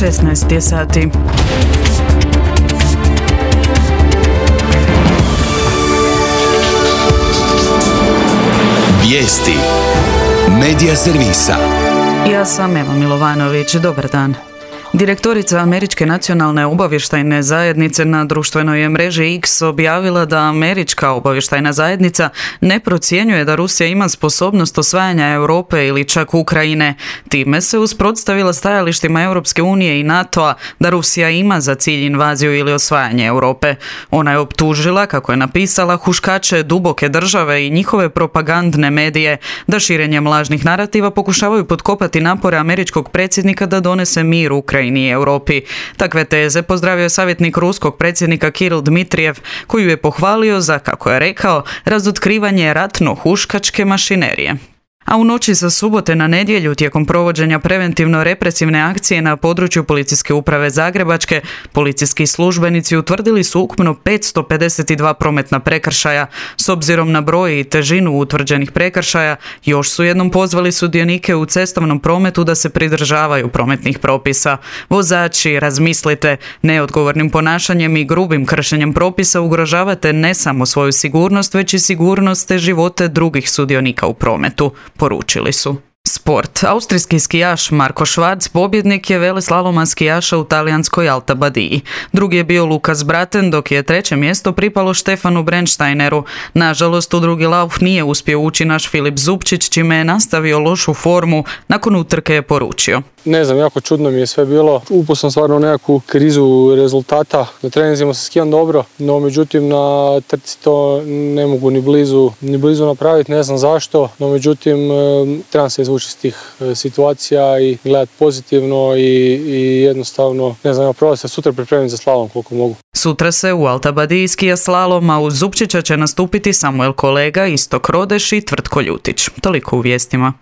16 je sati. Vijesti Medija servisa. Ja sam Eva Milovanović, dobar dan. Direktorica Američke nacionalne obavještajne zajednice na društvenoj je mreži X objavila da Američka obavještajna zajednica ne procjenjuje da Rusija ima sposobnost osvajanja Europe ili čak Ukrajine. Time se usprotstavila stajalištima Europske unije i NATO-a da Rusija ima za cilj invaziju ili osvajanje Europe. Ona je optužila, kako je napisala, huškače duboke države i njihove propagandne medije da širenjem lažnih narativa pokušavaju potkopati napore američkog predsjednika da donese mir Ukrajini i Europi. Takve teze pozdravio je savjetnik ruskog predsjednika Kiril Dmitrijev, koji je pohvalio za, kako je rekao, razotkrivanje ratno-huškačke mašinerije. A u noći sa subote na nedjelju, tijekom provođenja preventivno-represivne akcije na području Policijske uprave Zagrebačke, policijski službenici utvrdili su ukupno 552 prometna prekršaja. S obzirom na broj i težinu utvrđenih prekršaja, još su jednom pozvali sudionike u cestovnom prometu da se pridržavaju prometnih propisa. Vozači, razmislite, neodgovornim ponašanjem i grubim kršenjem propisa ugrožavate ne samo svoju sigurnost, već i sigurnost te živote drugih sudionika u prometu, poručili su. Sport. Austrijski skijaš Marko Švarc pobjednik je veleslaloman skijaša u talijanskoj Alta Badiji. Drugi je bio Lukas Braten, dok je treće mjesto pripalo Štefanu Brennsteineru. Nažalost, u drugi lauf nije uspio ući naš Filip Zupčić, čime je nastavio lošu formu. Nakon utrke je poručio: Ne znam, jako čudno mi je sve bilo. Upao sam stvarno u nekakvu krizu rezultata. Na treninzima se skijam dobro, no međutim na trci to ne mogu ni blizu napraviti, ne znam zašto. No međutim, trebam se izvući iz tih situacija i gledati pozitivno i jednostavno, ne znam, probam se sutra pripremiti za slalom koliko mogu. Sutra se u Alta Badiji skija slalom, a uz Zupčića će nastupiti Samuel Kolega, Istok Rodeš i Tvrtko Ljutić. Toliko u vijestima.